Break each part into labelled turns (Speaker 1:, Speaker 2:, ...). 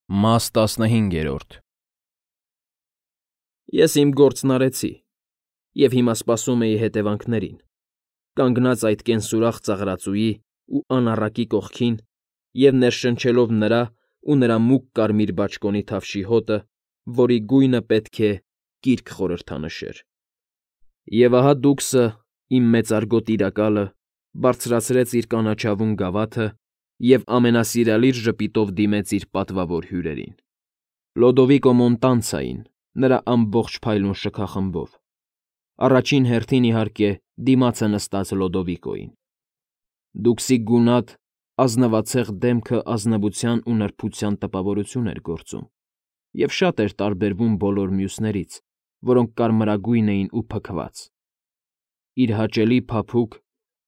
Speaker 1: Մաս 15
Speaker 2: Ես իմ գործն արեցի, և հիմա սպասում էի հետևանքներին, կանգնած այդ կենսուրախ ծաղրածուի ու անառակի կողքին և ներշնչելով նրա ու նրա մուգ կարմիր բաճկոնի թավշի հոտը, որի գույնը պետք է կիրք խորհրդանշեր։ Եվ ահա Դուքսը, իմ մեծարգո Տիրակալը, բարձրացրեց իր կանաչավուն գավաթը և ամենասիրալիր ժպիտով դիմեց իր պատվավոր հյուրերին. Լոդովիկո Մոնտանցային, նրա ամբողջ փայլուն շքախմբով, առաջին հերթին, իհարկե, դիմացը նստած Լոդովիկոյին։ Դուքսի գունատ, ազնվացեղ դեմքը ազնվության ու նրբության տպավորություն էր գործում և շատ էր տարբերվում բոլոր մյուսներից, որոնք կարմրագույն էին ու փքված։ Իր հաճելի փափուկ,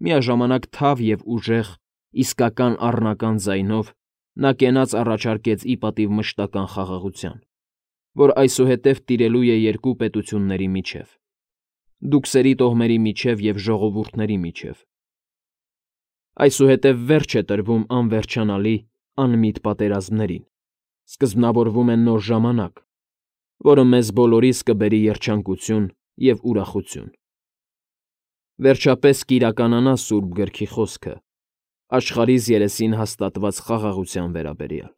Speaker 2: միաժամանակ թավ և ուժեղ, իսկական առնական ձայնով նա կենաց առաջարկեց ի պատիվ մշտական խաղաղության, որ այսուհետև տիրելու է երկու պետությունների միջև՝ դուքսերի տոհմերի միջև և ժողովուրդների միջև։ Այսուհետև վերջ է տրվում անվերջանալի, անմիտ պատերազմներին, սկզբնավորվում է նոր ժամանակ, որը մեզ բոլորիս կբերի երջանկություն և ուրախություն։ Վերջապես կիրականանա Սուրբ Գրքի խոսքը, աշխարհիս երեսին հաստատված խաղաղության վերաբերյալ։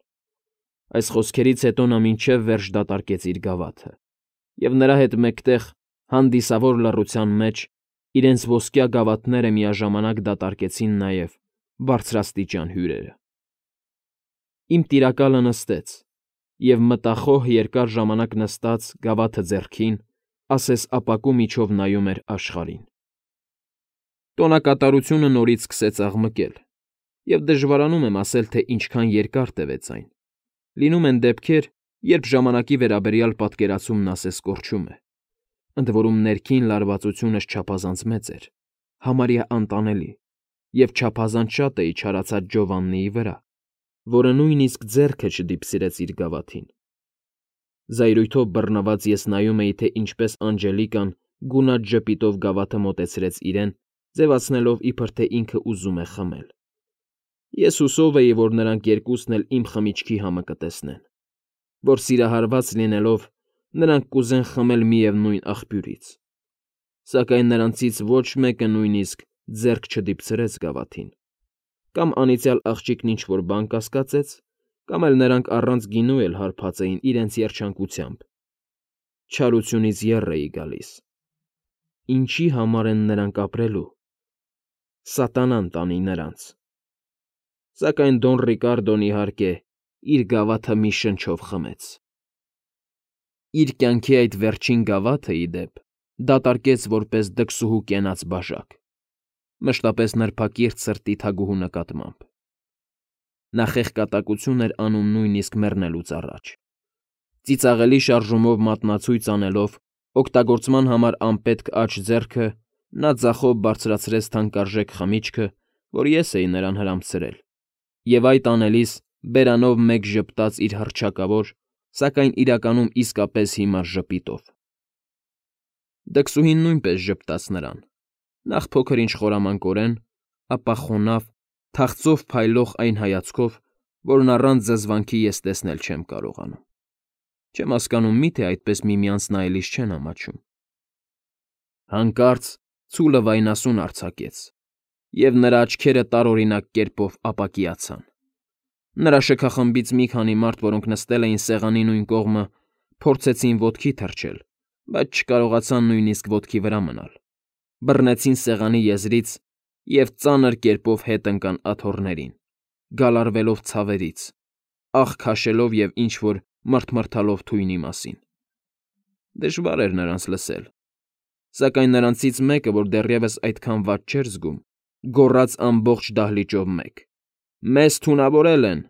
Speaker 2: Այս խոսքերից հետո նա մինչև վերջ դատարկեց իր գավաթը, և նրա հետ մեկտեղ, հանդիսավոր լռության մեջ, իրենց ոսկյա գավաթները միաժամանակ դատարկեցին նաև բարձրաստիճան հյուրերը։ Իմ Տիրակալը նստեց և, մտախոհ երկար ժամանակ նստած, գավաթը ձեռքին, ասես ապակու միջով նայում էր աշխարհին։ Տոնակատարությունը նորից սկսեց աղմկել, և դժվարանում եմ ասել, թե ինչքան երկար տևեց այն։ Լինում են դեպքեր, երբ ժամանակի վերաբերյալ պատկերացումն ասես կորչում է, ընդ որում ներքին լարվածությունս չափազանց մեծ էր, համարյա անտանելի, և չափազանց շատ էի չարացած Ջովաննիի վրա, որը նույնիսկ ձեռքը չդիպսիրեց իր գավաթին։ Զայրույթով բռնված ես նայում էի, թե ինչպես Անջելիկան գունատ ժպիտով գավաթը մոտեցրեց իրեն, ձևացնելով, իբր թե ինքը ուզում է խմել։ Ես հուսով էի, որ նրանք երկուսն էլ իմ խմիչքի համը կտեսնեն, որ սիրահարված լինելով, նրանք կուզեն խմել միևնույն աղբյուրից։ Սակայն նրանցից ոչ մեկը նույնիսկ ձեռք չդիպցրեց գավաթին, կամ անիծյալ աղջիկն ինչ֊որ բան կասկածեց, կամ էլ նրանք առանց գինու էլ հարբած էին իրենց երջանկությամբ։ Չարությունից եռ էի գալիս։ Ինչի համար են նրանք ապրելու։ Սատանան տանի նրանց։ Սակայն Դոն Ռիկարդոն, իհարկե, իր գավաթը մի շնչով խմեց։ Իր կյանքի այդ վերջին գավաթը, ի դեպ, դատարկեց որպես դքսուհու կենաց բաժակ, մշտապես նրբակիրթ սրտի թագուհու նկատմամբ։ Նա խեղկատակություն էր անում նույնիսկ մեռնելուց առաջ։ Ծիծաղելի շարժումով մատնացույց անելով, օգտագործման համար անպետք աջ ձեռքը նա ձախով բարձրացրեց թանկարժեք խմիչքը, որ ես էի նրան հրամցրել, և այդ անելիս բերանով մեկ ժպտաց իր հռչակավոր, սակայն իրականում իսկապես հիմար ժպիտով։ Դքսուհին նույնպես ժպտաց նրան, նախ փոքր-ինչ խորամանկորեն, ապա խոնավ, թախծով փայլող այն հայացքով, որն առանց զզվանքի ես տեսնել չեմ կարողանում։ Չեմ հասկանում, միթե այդպես միմյանց նայելիս չեն ամաչում։ Հանկարծ ցուլը վայնասուն արձակեց, և նրա աչքերը տարօրինակ կերպով ապակիացան։ Նրա շքախմբից մի քանի մարդ, որոնք նստել էին սեղանի նույն կողմը, փորձեցին ոտքի թռչել, բայց չկարողացան նույնիսկ ոտքի վրա մնալ, բռնեցին սեղանի եզրից և ծանր կերպով հետ ընկան աթոռներին, գալարվելով ցավերից, աղ քաշելով և ինչ֊որ մռթմռթալով թույնի մասին։ Դժվար էր նրանց լսել, սակայն նրանցից մեկը, որ դեռևս այդքան վատ չէր զգում, գոռաց ամբողջ դահլիճով մեկ. «Մեզ թունավորել են»։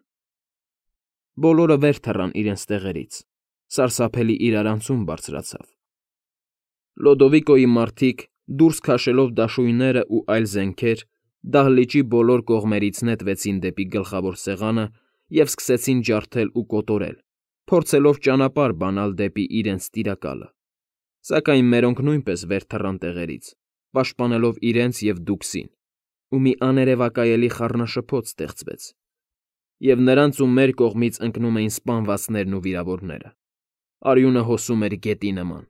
Speaker 2: Բոլորը վեր թռան իրենց տեղերից, սարսափելի իրարանցում բարձրացավ։ Լոդովիկոյի մարդիկ, դուրս քաշելով դաշույններն ու այլ զենքեր, դահլիճի բոլոր կողմերից նետվեցին դեպի գլխավոր սեղանը և սկսեցին ջարդել ու կոտորել, փորձելով ճանապարհ բանալ դեպի իրենց Տիրակալը։ Սակայն մերոնք նույնպես վեր թռան տեղերից, պաշտպանելով իրենց և Դուքսին, ու մի աներևակայելի խառնաշփոթ ստեղծվեց։ և նրանց ու մեր կողմից ընկնում էին սպանվածներն ու վիրավորները։ Արյունը հոսում էր գետի նման։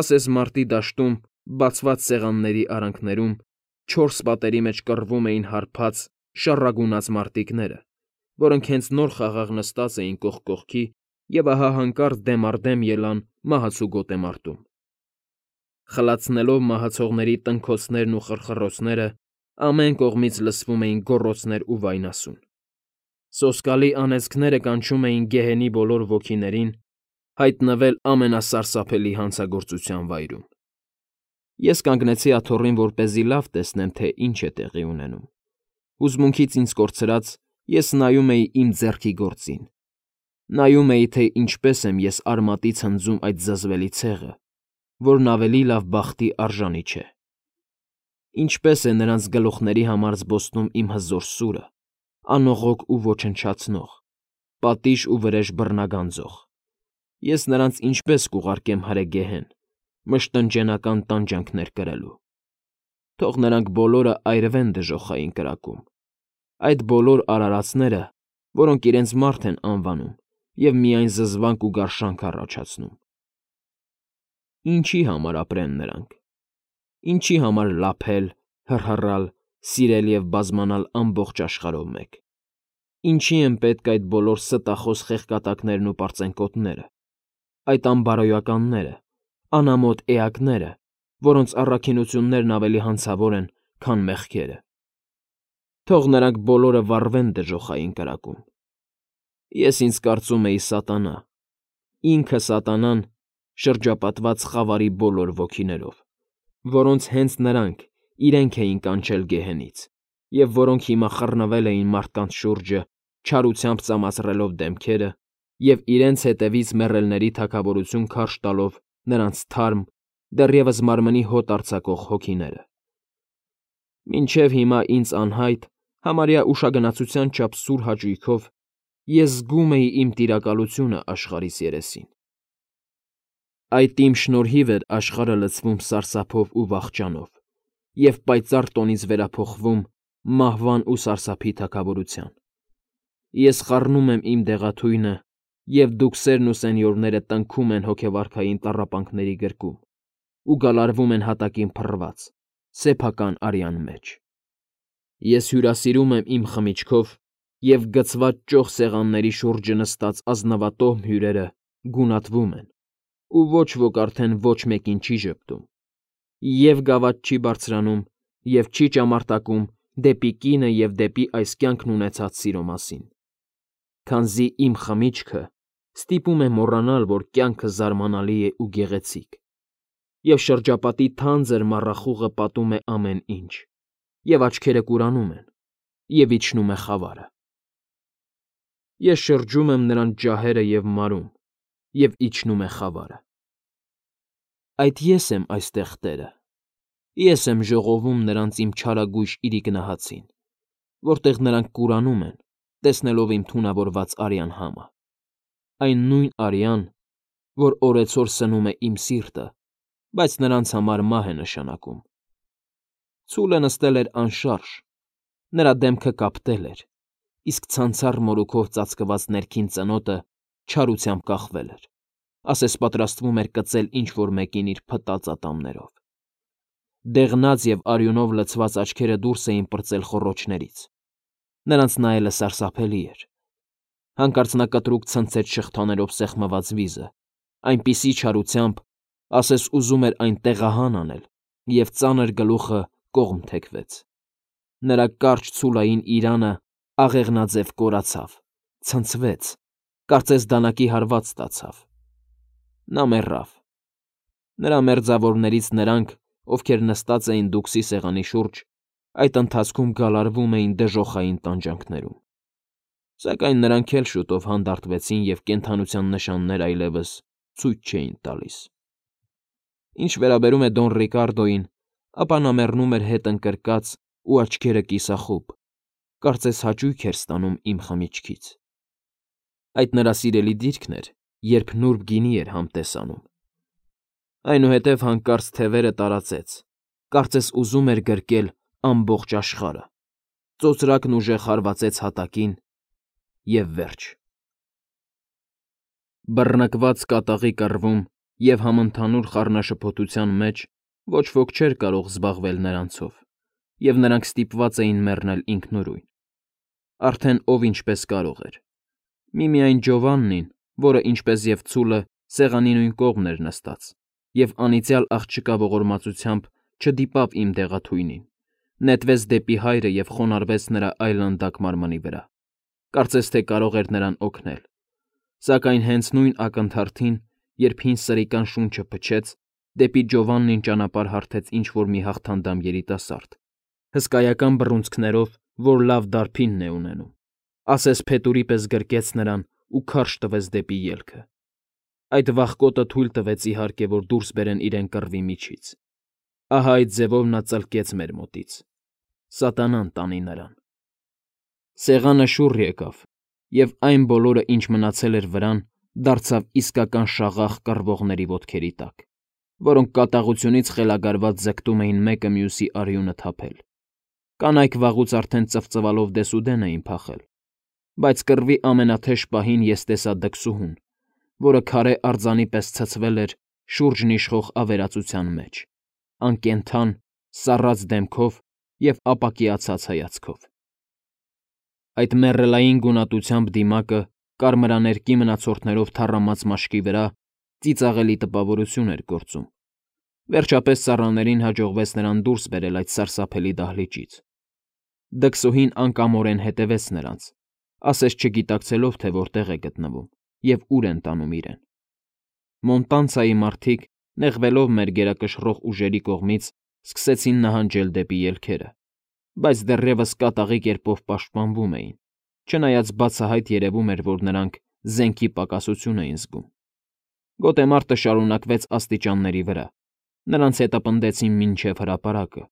Speaker 2: Ասես մարտի դաշտում, բացված սեղանների արանքներում, 4 պատերի մեջ կռվում էին հարբած, շառագունած մարտիկները, որոնք հենց նոր խաղաղ նստած էին կողք կողքի և ահա հանկարծ դեմ առ դեմ ելան մահացու գոտեմարտում։ Խլացնելով մահացողների տնքոցներն ու խռխռոցները, ամեն կողմից լսվում էին գոռոցներ ու վայնասուն։ Սոսկալի անեծքները կանչում էին գեհենի բոլոր ոգիներին հայտնվել ամենասարսափելի հանցագործության վայրում։ Ես կանգնեցի աթոռին, որպեսզի լավ տեսնեմ, թե ինչ է տեղի ունենում։ Հուզմունքից ինձ կորցրած, ես նայում էի իմ ձեռքի գործին։ Նայում էի, թե ինչպես եմ ես արմատից հնձում այդ զզվելի ցեղը, որն ավելի լավ բախտի արժանի չէ։ Ինչպես է նրանց գլուխների համար զբոսնում իմ հզոր սուրը, անողոք ու ոչնչացնող, պատիժ ու վրեժ բռնագանձող։ Ես նրանց ինչպես կուղարկեմ հրեգեհեն, մշտնջենական տանջանքներ կրելու։ Թող նրանք բոլորը այրվեն դժոխային կրակում, այդ բոլոր արարածները, որոնք իրենց մարդ են անվանում և միայն զզվանք ու գարշանք առաջացնում։ Ինչի համար ապրեն նրանք։ Ինչի համար լափել, հռհռալ, սիրել և բազմանալ ամբողջ աշխարհով մեկ։ Ինչի են պետք այդ բոլոր ստախոս խեղկատակներն ու պարծենկոտները, այդ անբարոյականները, անամոթ էակները, որոնց առաքինություններն ավելի հանցավոր են, քան մեղքերը։ Թող նրանք բոլորը վառվեն դժոխային կրակում։ Ես ինձ կարծում էի սատանա, ինքը սատանան, շրջապատված խավարի բոլոր ոգիներով, որոնց հենց նրանք իրենք էին կանչել գեհենից, և որոնք հիմա խռնվել էին մարդկանց շուրջը, չարությամբ ծամացրելով դեմքերը և իրենց հետևից մեռելների թագավորություն քարշ տալով նրանց թարմ, դեռևս մարմնի հոտ արձակող հոգիները։ Մինչև հիմա ինձ անհայտ, համարյա ուշագնացության չափ սուր հաճույքով ես զգում էի իմ տիրակալությունը աշխարհիս երեսին։ Այդ իմ շնորհիվ էր աշխարհը լցվում սարսափով ու վախճանով և պայծառ տոնից վերափոխվում մահվան ու սարսափի թագավորության։ Ես խառնում եմ իմ դեղաթույնը, և դուքսերն ու սենյորները տնքում են հոգեվարքային տառապանքների գրկում ու գալարվում են հատակին փռված, սեփական արյան մեջ։ Ես հյուրասիրում եմ իմ խմիչքով, և գցված ճոխ սեղանների շուրջը նստած ազնվատոհմ հյուրերը գունատվում են, ու ոչ ոք արդեն ոչ մեկին չի ժպտում, և գավաթ չի բարձրանում, և չի ճամարտակում դեպի կինը և դեպի այս կյանքն ունեցած սիրո մասին, քանզի իմ խմիչքը ստիպում է մոռանալ, որ կյանքը զարմանալի է ու գեղեցիկ, և շրջապատի թանձր մառախուղը պատում է ամեն ինչ, և աչքերը կուրանում են, և իջնում է խավարը։ Ես շրջում եմ նրանց ջահերը և մարում, և իջնում է խավարը։ Այդ ես եմ այստեղ տերը։ Ես եմ ժողովում նրանց իմ չարագույժ իրիկնահացին, որտեղ նրանք կուրանում են, տեսնելով իմ թունավորված արյան համը, այն նույն արյան, որ օրեցօր սնում է իմ սիրտը, բայց նրանց համար մահ է նշանակում։ Ցուլը նստել էր անշարժ, նրա դեմքը կապտել էր, իսկ ցանցառ մորուքով ծածկված ներքին ծնոտը չարությամբ կախվել էր, ասես պատրաստվում էր կծել ինչ֊որ մեկին իր փտած ատամներով։ Դեղնած և արյունով լցված աչքերը դուրս էին պրծել խոռոչներից։ Նրանց նայելը սարսափելի էր։ Հանկարծ նա կտրուկ ցնցեց շղթաներով սեղմված վիզը, այնպիսի չարությամբ, ասես ուզում էր այն տեղահան անել, և ծանր գլուխը կողմ թեքվեց։ Նրա կարճ ցուլային իրանը աղեղնաձև կորացավ, ցնցվեց, կարծես դանակի հարված ստացավ։ Նա մեռավ։ Նրա մերձավորներից նրանք, ովքեր նստած էին դուքսի սեղանի շուրջ, այդ ընթացքում գալարվում էին դժոխային տանջանքներում։ Սակայն նրանք էլ շուտով հանդարտվեցին և կենդանության նշաններ այլևս ցույց չէին տալիս։ Ինչ վերաբերում է Դոն Ռիկարդոյին, ապա նա մեռնում էր հետ ընկրկած ու աչքերը կիսախուբ, կարծես հաճույք էր ստանում իմ խմիչքից։ Այդ նրա սիրելի դիրքն էր, երբ նուրբ գինի էր համտեսանում։ Այնուհետև հանկարծ թևերը տարածեց, կարծես ուզում էր գրկել ամբողջ աշխարհը, ծոծրակն ուժեղ հարվածեց հատակին, և վերջ։ Բռնկված կատաղի կռվում և համընդհանուր խառնաշփոթության մեջ ոչ ոք չէր կարող զբաղվել նրանցով, և նրանք ստիպված էին մեռնել ինքնուրույն։ Արդեն ով ինչպես կարող էր։ Միմիայն Ջովաննին, որը ինչպես և ցուլը սեղանի նույն կողմն էր նստած, և անիծյալ աղջկա ողորմածությամբ չդիպավ իմ դեղաթույնին, նետվեց դեպի հայրը և խոնարհվեց նրա այլանդակ մարմնի վրա, կարծես թե կարող էր նրան օգնել, սակայն հենց նույն ակնթարթին, երբ հին սրիկան շունչը փչեց, դեպի Ջովաննին ճանապարհ հարթեց ինչ֊որ մի հաղթանդամ երիտասարդ, հսկայական բռունցքներով, որ լավ դարբինն է ունենում, ասես փետուրի պես գրկեց նրան ու քարշ տվեց դեպի ելքը։ Այդ վախկոտը թույլ տվեց, իհարկե, որ դուրս բերեն իրեն կռվի միջից։ Ահա այդ ձևով նա ծլկեց մեր մոտից։ Սատանան տանի նրան։ Սեղանը շուռ եկավ, և այն բոլորը, ինչ մնացել էր վրան, դարձավ իսկական շաղախ կռվողների ոտքերի տակ, որոնք կատաղությունից խելագարված ձգտում էին մեկը մյուսի արյունը թափել։ Կանայք վաղուց արդեն ծվծվալով դեսուդեն էին փախել, բայց կռվի ամենաթեժ պահին ես տեսա դքսուհուն, որը քարե արձանի պես ցցվել էր շուրջն իշխող ավերածության մեջ, անկենդան, սառած դեմքով և ապակիացած հայացքով։ Այդ մեռելային գունատությամբ դիմակը կարմրաներկի մնացորդներով թառամած մաշկի վրա ծիծաղելի տպավորություն էր գործում։ Վերջապես ծառաներին հաջողվեց նրան դուրս բերել այդ սարսափելի դահլիճից։ Դքսուհին անկամորեն հետևեց նրանց, ասես չգիտակցելով, թե որտեղ է գտնվում և ուր են տանում իրեն։ Մոնտանցայի մարդիկ, նեղվելով մեր գերակշռող ուժերի կողմից, սկսեցին նահանջել դեպի ելքերը, բայց դեռևս կատաղի կերպով պաշտպանվում էին, չնայած բացահայտ երևում էր, որ նրանք զենքի պակասություն էին զգում։ Գոտեմարտը շարունակվեց աստիճանների վրա, նրանց հետապնդեցին մինչև հրապարակը։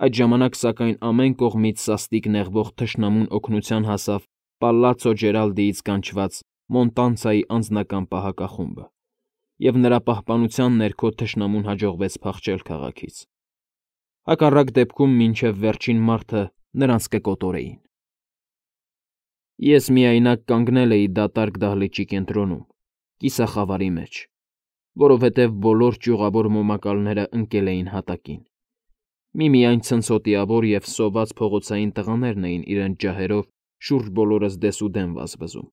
Speaker 2: Այդ ժամանակ, սակայն, ամեն կողմից սաստիկ նեղվող թշնամուն օգնության հասավ Պալացո Ջերալդիից կանչված Մոնտանցայի անձնական պահակախումբը, և նրա պահպանության ներքո թշնամուն հաջողվեց փախչել քաղաքից։ Հակառակ դեպքում մինչև վերջին մարդը նրանց կկոտորեին։ Ես միայնակ կանգնել էի դատարկ դահլիճի կենտրոնում, կիսախավարի մեջ, որովհետև բոլոր ճյուղավոր մոմակալները ընկել էին հատակին։ Միմիայն ցնցոտիավոր և սոված փողոցային տղաներն էին իրենց ջահերով շուրջ բոլորս դեսուդեն վազվզում,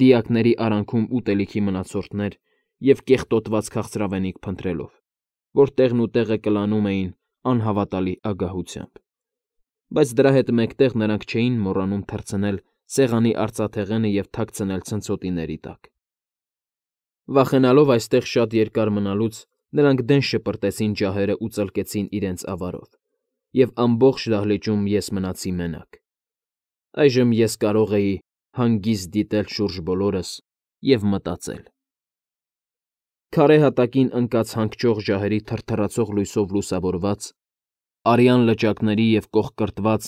Speaker 2: դիակների արանքում ուտելիքի մնացորդներ և կեղտոտված քաղցրավենիք փնտրելով, որ տեղն ու տեղը կլանում էին անհավատալի ագահությամբ։ Բայց դրա հետ մեկտեղ նրանք չէին մոռանում թռցնել սեղանի արծաթեղենը և թաքցնել ցնցոտիների տակ։ Վախենալով այստեղ շատ երկար մնալուց, նրանք դեն շպրտեցին ջահերն ու ծլկեցին իրենց ավարով, և ամբողջ դահլիճում ես մնացի մենակ։ Այժմ ես կարող էի հանգիստ դիտել շուրջ բոլորս և մտածել։ Քարե հատակին ընկած հանգճող ջահերի թրթռացող լույսով լուսավորված, արյան լճակների և կոխկրտված,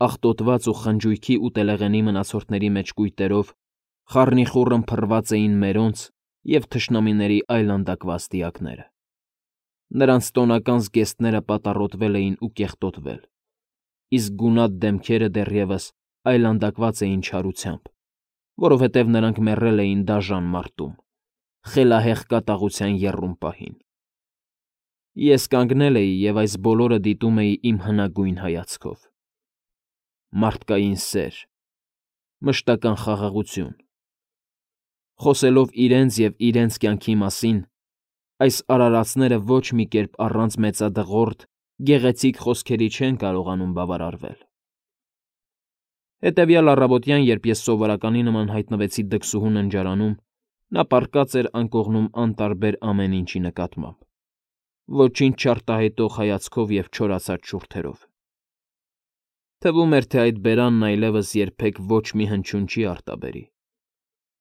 Speaker 2: աղտոտված ու խնջույքի ու տելեղենի մնացորդների մեջ կույտերով խառնիխուռն փռված էին մերոնց և թշնամիների այլանդակված դիակները։ Նրանց տոնական զգեստները պատառոտվել էին ու կեղտոտվել, իսկ գունատ դեմքերը դեռևս այլանդակված էին չարությամբ, որովհետև նրանք մեռել էին դաժան մարտում, խելահեղ կատաղության եռում պահին։ Ես կանգնել էի և այս բոլորը դիտում էի իմ հնագույն հայացքով։ Մարդկային սեր, մշտական խաղաղություն։ Խոսելով իրենց և իրենց կյանքի մասին, այս արարածները ոչ մի կերպ առանց մեծադղրդ, գեղեցիկ խոսքերի չեն կարողանում բավարարվել։ Հետևյալ առավոտյան, երբ ես սովորականի նման հայտնվեցի դքսուհու ննջարանում, նա պառկած էր անկողնում անտարբեր ամեն ինչի նկատմամբ, ոչինչ չարտահայտող հայացքով և չորացած շուրթերով։ Թվում էր, թե այդ բերանն այլևս երբեք ոչ մի հնչյուն չի արտաբերի։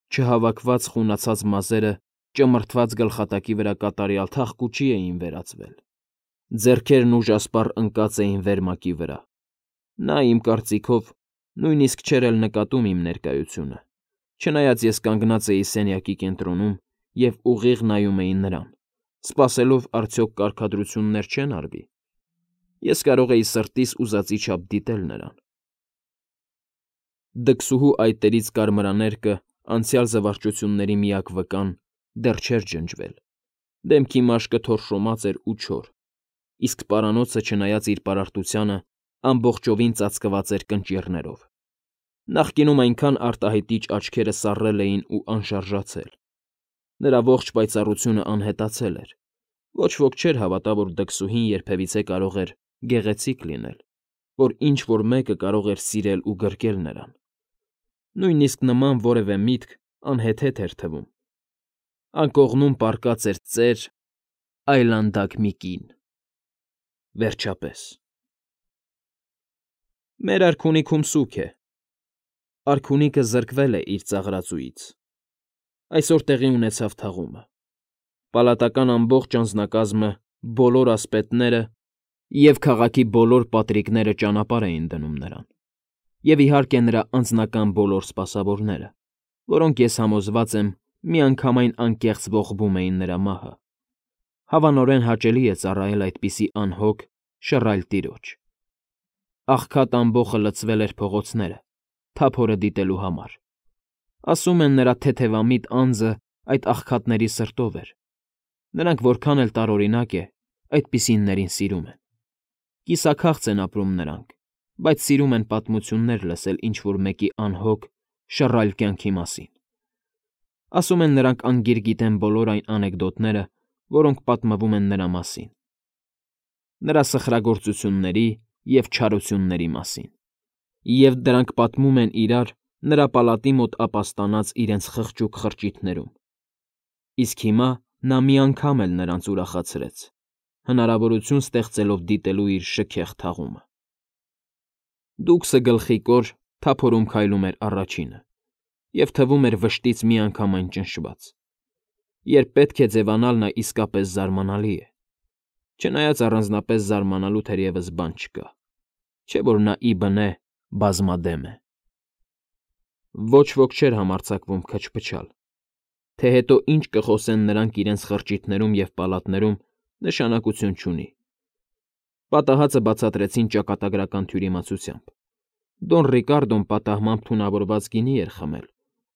Speaker 2: Չհավաքված խունացած մազերը ճմրթված գլխատակի վրա կատարյալ թախկուճի էին վերածվել, ձեռքերն ուժասպառ ընկած էին վերմակի վրա։ Նա, իմ կարծիքով, նույնիսկ չէր էլ նկատում իմ ներկայությունը, չնայած ես կանգնած էի սենյակի կենտրոնում և ուղիղ նայում էի նրան, սպասելով արդյոք կարգադրություններ չեն արվի։ Ես կարող էի սրտիս ուզածի չափ դիտել նրան։ Դքսուհու այտերից կարմրաներկը անցյալ զվարճությունների միակ վկան դեռ չէր ջնջվել, դեմքի մաշկը թորշոմած էր ու չոր, իսկ պարանոցը, չնայած իր պարարտությանը, ամբողջովին ծածկված էր կնճիռներով։ Նախկինում այնքան արտահայտիչ աչքերը սառել էին ու անշարժացել։ Նրա ողջ պայծառությունը անհետացել էր։ Ոչ ոք չէր հավատա, որ դքսուհին երբևիցե կարող էր գեղեցիկ լինել, որ ինչ-որ մեկը կարող էր սիրել ու գրկել նրան։ Նույնիսկ նման որևէ միտք անհեթեթ էր թվում։ Անկողնում պառկած էր ծեր, այլանդակ մի կին։ Վերջապես։ Մեր արքունիքում սուգ է։ Արքունիքը զրկվել է իր ծաղրածուից։ Այսօր տեղի ունեցավ թաղումը։ Պալատական ամբողջ անձնակազմը, բոլոր ասպետները և քաղաքի բոլոր պատրիկները ճանապարհ էին դնում նրան, և իհարկե նրա անձնական բոլոր սպասավորները, որոնք, ես համոզված եմ, միանգամայն անկեղծ ողբում էին նրա մահը։ Հավանորեն հաճելի է ծառայել այդպիսի անհոգ, շռայլ տիրոջ։ Աղքատ ամբոխը լցվել էր փողոցները, թափորը դիտելու համար։ Ասում են, նրա թեթևամիտ անձը այդ աղքատների սրտով էր։ Նրանք որքան էլ տարօրինակ է, այդպիսիներին սիրում են։ Կիսաքաղց են ապրում նրանք, բայց սիրում են պատմություններ լսել ինչ֊որ մեկի անհոգ, շռայլ կյանքի մասին։ Ասում են, նրանք անգիր գիտեն բոլոր այն անեկդոտները, որոնք պատմվում են նրա մասին, նրա սխրագործությունների և չարությունների մասին, և դրանք պատմում են իրար նրա պալատի մոտ ապաստանած իրենց խղճուկ խրճիթներում։ Իսկ հիմա նա մի անգամ էլ նրանց ուրախացրեց, հնարավորություն ստեղծելով դիտելու իր շքեղ թաղումը։ Դուքսը գլխիկոր թափորում քայլում էր առաջինը, և թվում էր վշտից միանգամայն ճնշված։ Երբ պետք է ձևանալ, նա իսկապես զարմանալի է։ Չնայած առանձնապես զարմանալու թերևս բան չկա, չէ՞ որ նա ի բնե բազմադեմ է։ Ոչ ոք չէր համարձակվում քչփչալ, թե հետո ինչ կխոսեն նրանք իրենց խրճիթներում և պալատներում, նշանակություն չունի։ Պատահածը բացատրեցին ճակատագրական թյուրիմացությամբ։ Դոն Ռիկարդոն պատահմամբ թունավորված գինի էր խմել,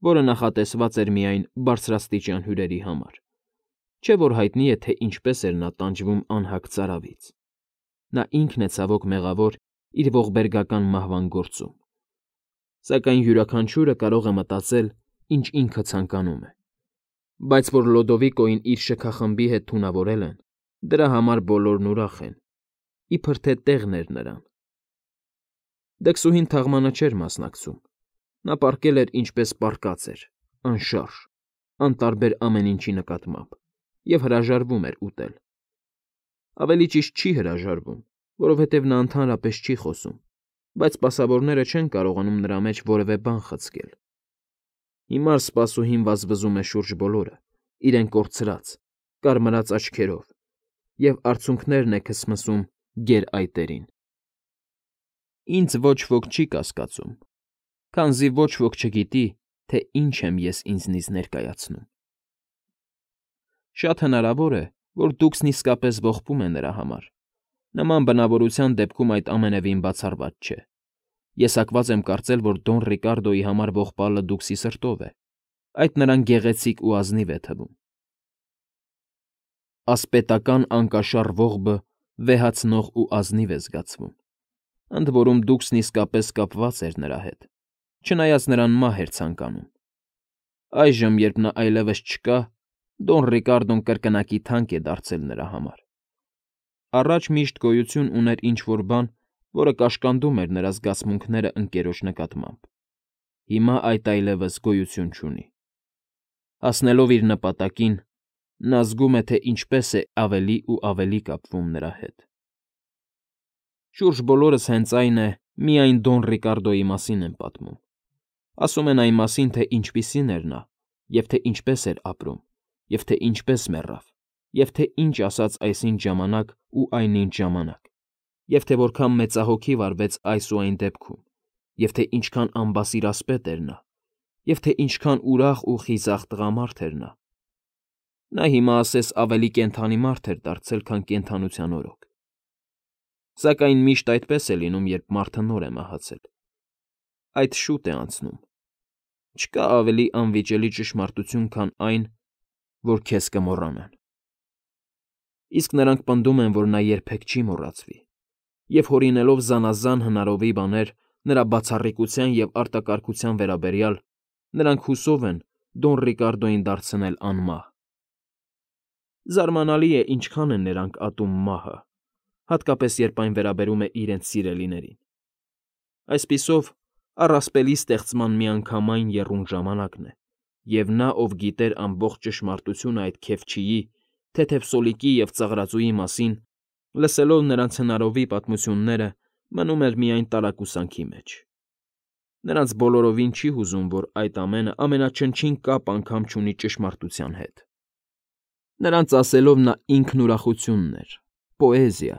Speaker 2: որը նախատեսված էր միայն բարձրաստիճան հյուրերի համար։ Չէ՞ որ հայտնի է, թե ինչպես էր նա տանջվում անհագ ծարավից։ Նա ինքն է ցավոք մեղավոր իր ողբերգական մահվան գործում։ Սակայն յուրաքանչյուրը կարող է մտածել, ինչ ինքը ցանկանում է։ Բայց որ Լոդովիկոին իր շքախմբի հետ թունավորել են, դրա համար բոլորն ուրախ են, իբր թե տեղն էր նրան։ Դքսուհին թաղմանը չէր մասնակցում։ Նա պառկել էր ինչպես պառկած էր, անշարժ, անտարբեր ամեն ինչի նկատմամբ, և հրաժարվում էր ուտել։ Ավելի ճիշտ չի հրաժարվում, որովհետև նա ընդհանրապես չի խոսում, բայց սպասավորները չեն կարողանում նրա մեջ որևէ բան խցկել։ Հիմար սպասուհին վազվզում է շուրջ բոլորը, իրեն կորցրած, կարմրած աչքերով, և արցունքներն է քսմսում գերայտերին։ Ինձ ոչ ոք չի կասկածում, քանզի ոչ ոք չգիտի, թե ինչ եմ ես ինձնից ներկայացնում։ Շատ հնարավոր է, որ Դուքսն իսկապես ողբում է նրա համար։ Նման բնավորության դեպքում այդ ամենևին բացառված չէ։ Ես հակված եմ կարծել, որ Դոն Ռիկարդոյի համար ողբալը Դուքսի սրտով է, այդ նրան գեղեցիկ ու ազնիվ է թվում։ Ասպետական անկաշառ ողբը վեհացնող ու ազնիվ է զգացվում։ Ընդ որում Դուքսն իսկապես կապված էր նրա հետ, չնայած նրան մահ էր ցանկանում։ Այժմ, երբ նա այլևս չկա, Դոն Ռիկարդոն կրկնակի թանկ է դարձել նրա համար։ Առաջ միշտ գոյություն ուներ ինչ֊որ բան, որը կաշկանդում էր նրա զգացմունքները ընկերոջ նկատմամբ։ Հիմա այդ այլևս գոյություն չունի։ Հասնելով իր նպատակին, նա զգում է, թե ինչպես է ավելի ու ավելի կապվում նրա հետ։ Շուրջ բոլորս հենց այն է, միայն Դոն Ռիկարդոյի մասին են պատմում։ Ասում են այն մասին, թե ինչպիսին էր նա, և թե ինչպես էր ապրում, և թե ինչպես մեռավ, և թե ինչ ասաց այսինչ ժամանակ ու այնինչ ժամանակ, և թե որքան մեծահոգի վարվեց այս ու այն դեպքում, և թե ինչքան անբասիր ասպետ էր նա, և թե ինչքան ուրախ ու խիզախ տղամարդ էր նա։ Նա հիմա ասես ավելի կենդանի մարդ էր դարձել, քան կենդանության օրոք։ Սակայն միշտ այդպես է լինում, երբ մարդը նոր է մահացել։ այդ շուտ է անցնում։ Չկա ավելի անվիճելի ճշմարտություն, քան այն, որ քեզ կմոռանան։ Իսկ նրանք պնդում են, որ նա երբեք չի մոռացվի, և հորինելով զանազան հնարովի բաներ նրա բացառիկության և արտակարգության վերաբերյալ, նրանք հուսով են Դոն Ռիկարդոյին դարձնել անմահ։ Զարմանալի է, ինչքան են նրանք ատում մահը, հատկապես երբ այն վերաբերում է իրենց սիրելիներին։ Այսպիսով, առասպելի ստեղծման միանգամայն եռուն ժամանակն է, և նա, ով գիտեր ամբողջ ճշմարտությունը այդ քեֆչիի, թեթև սոլիկի և ծաղրածուի մասին, լսելով նրանց հնարովի պատմությունները, մնում էր միայն տարակուսանքի մեջ։ Նրանց բոլորովին չի հուզում, որ այդ ամենը ամենաչնչին կապ անգամ չունի ճշմարտության հետ։ Նրանց ասելով նա ինքն ուրախությունն էր, պոեզիա,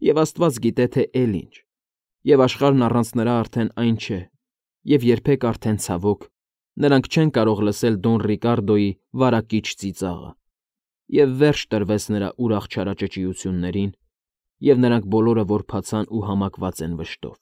Speaker 2: և աստված գիտե, թե էլ ինչ, և աշխարհն առանց նրա արդեն այն չէ, և երբեք արդեն, ցավոք, նրանք չեն կարող լսել Դոն Ռիկարդոյի վարակիչ ծիծաղը, և վերջ տրվեց նրա ուրախ չարաճճիություններին, և նրանք բոլորը որբացան ու համակված են վշտով։